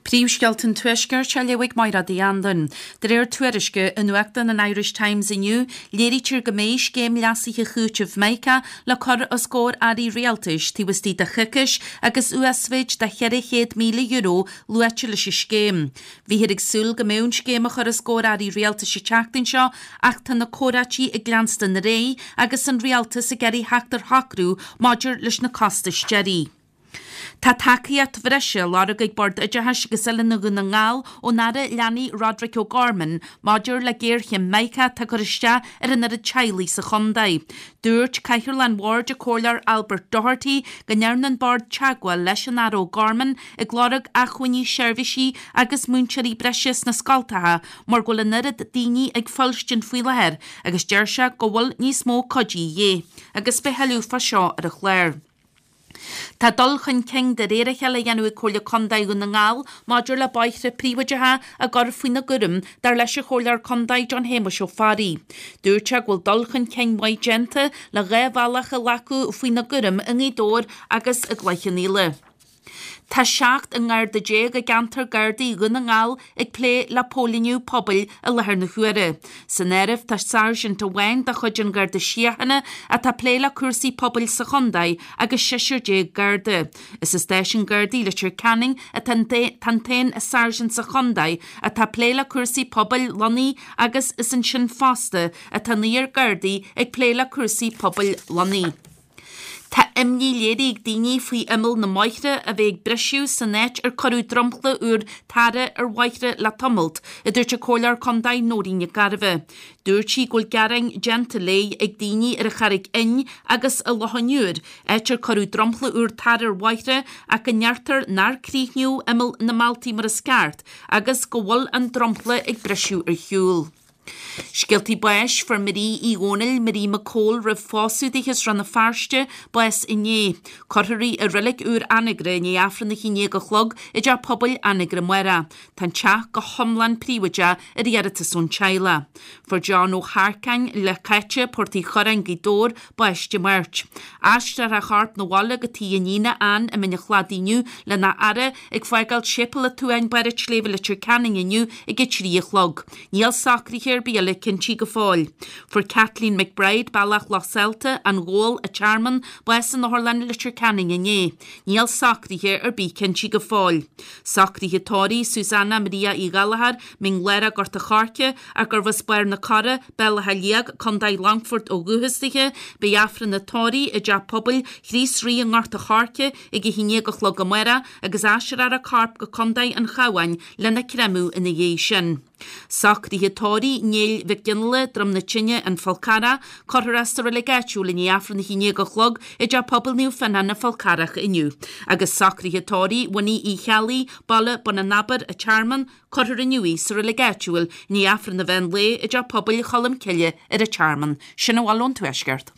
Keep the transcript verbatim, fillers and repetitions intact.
Príomhscéalta an Tuaiscirt á léamh ag Máire Uí Anluain. De réir tuairisce i nuachtán an Irish Times inniu, léirítear go mbeidh scéim leasaithe chúitimh Mica le cur os comhair airí rialtais taobh istigh de choicís agus uasmhéid de cheithre chéad míle euro luaite leis an scéim. Bhíothar ag súil go mbeadh an scéim á chur os comhair airí rialtais an tseachtain seo ach tá na comhráití ag leanstan ar aghaidh agus an rialtas ag iarraidh theacht ar shocrú maidir leis na costais deiridh. Tá tacaíocht bhreise á lorg ag Bord Oideachais agus Oiliúna Dhún na nGall ón Aire Leanaí Roderic O'Gorman maidir le géarchéim Mica atá ag cur isteach ar an oiread teaghlaigh sa chontae. Dúirt Cathaoirleach an Bhoird an Comhairleoir Albert Doherty go ndearna an Bord teagmháil leis an Aire O'Gorman ag lorg acmhainní seirbhísí agus múinteoirí breise sna scoltacha mar go bhfuil an oiread daoine ag fuilstin faoi láthair agus deir sé go bhfuil níos mó cuidí de dhíth agus beidh tuilleadh fá seo ar an chlár. Tá dul chun cinn de réir a chéile á dhéanamh ag Comhairle Contae Dhún na nGall maidir le bóithre príobháideacha a gcur faoina gcúram, dar leis an Chomhairleoir Contae John Shéamuis Ó Fearraigh. Dúirt sé go bhfuil dul chun cinn maith déanta le dhá bhealach a ghlacadh faoina gcúram i nGaoth Dobhair agus i gCloich Cheann Fhaola. Tá seacht nGarda déag i gceantar Gardaí Dhún na nGall ag plé le póilíniú pobail i láthair na huaire. San áireamh tá sáirsint amháin de chuid an Gharda Síochána atá ag plé le cúrsaí pobail sa chontae agus seisear déag Garda. Is i Stáisiún Gardaí Leitir Ceanainn atá an t-aon sáirsint sa chontae atá ag plé le cúrsaí pobail lonnaithe agus is ansin fosta atá naonúr Gardaí ag plé le cúrsaí pobail lonnaithe. Tá imní léirithe ag daoine faoi imeall na mbóithre a bheith ag briseadh san áit ar cuireadh dromchla úr tarra ar bhóithre le tamalt, a dúirt an Comhairleoir Contae Nóirín Nic Gairbheith. Dúirt sí go bhfuil gearáin déanta léi ag daoine ar an Charraig Fhinn agus i Loch an Iúir, áit ar cuireadh dromchla úr tarra ar bhóithre ach go ndeirtear nár críochnaíodh imeall na mbealtaí mar is ceart agus go bhfuil an dromchla ag briseadh ar shiúl. Scéaltaí báis, Fuair Marie Uí Dhónaill, Marie McCole roimh phósadh di as Rann na Feirste, bás inné. Cuirfear í i reilig úr Anagaire i ndiaidh Aifreann a haon déag a chlog i dteach pobail Anagaire amárach. Tá an teach go hiomlán príobháideach ar iarratas ón teaghlach. Fuair John Ó hEarcáin, Leath Caite, Port Uí Churráin, Gaoth Dobhair, bás Dé Máirt. Aistreofar a chorp 'na bhaile go tigh a iníne Ann i Mín an Chladaigh inniu lena fhaire ag fágáil Séipéal an tSuain, Barr an tSléibhe, Leitir Ceanainn inniu ag a trí a chlog. Níl socruithe ar bith eile cinntí go fóill. Fuair Kathleen McBride, Bealach Loch Saillte, An Ghabhal, An Tearmann, bás in Otharlann Leitir Ceanainn inné. Níl socruithe ar bith cinntí go fóill. Socruithe tórraimh Susanna Maria Uí Ghallchóir, Mín Lárach, Gort a' Choirce, ach gurbh as Barr na Cora, Béal Átha Liag, Contae Longfoirt ó dhúchas dithe, Beidh Aifreann an tórraimh i dTeach Pobail Chríost Rí i nGort a' Choirce ag a haon déag a chlog amárach agus aistreofar a corp go Contae an Chabháin lena créamadh ina dhiaidh sin. Socruithe tórraimh Néill Mhic Fhionnghaile, Droim na Tine, An Fál Carrach, cuirfear é sa reilig áitiúil i ndiaidh Aifreann a haon déag a chlog i dTeach Pobail Naomh Fionán, An Fál Carrach inniu. Agus socruithe tórraimh Winnie Uí Cheallaigh, Baile Bun an Abair, An Tearmann, cuirfear inniu í sa reilig áitiúil i ndiaidh Aifreann an mheán lae i dTeach Pobail Cholm Cille ar an Tearmann. Sin a bhfuil ón Tuaisceart.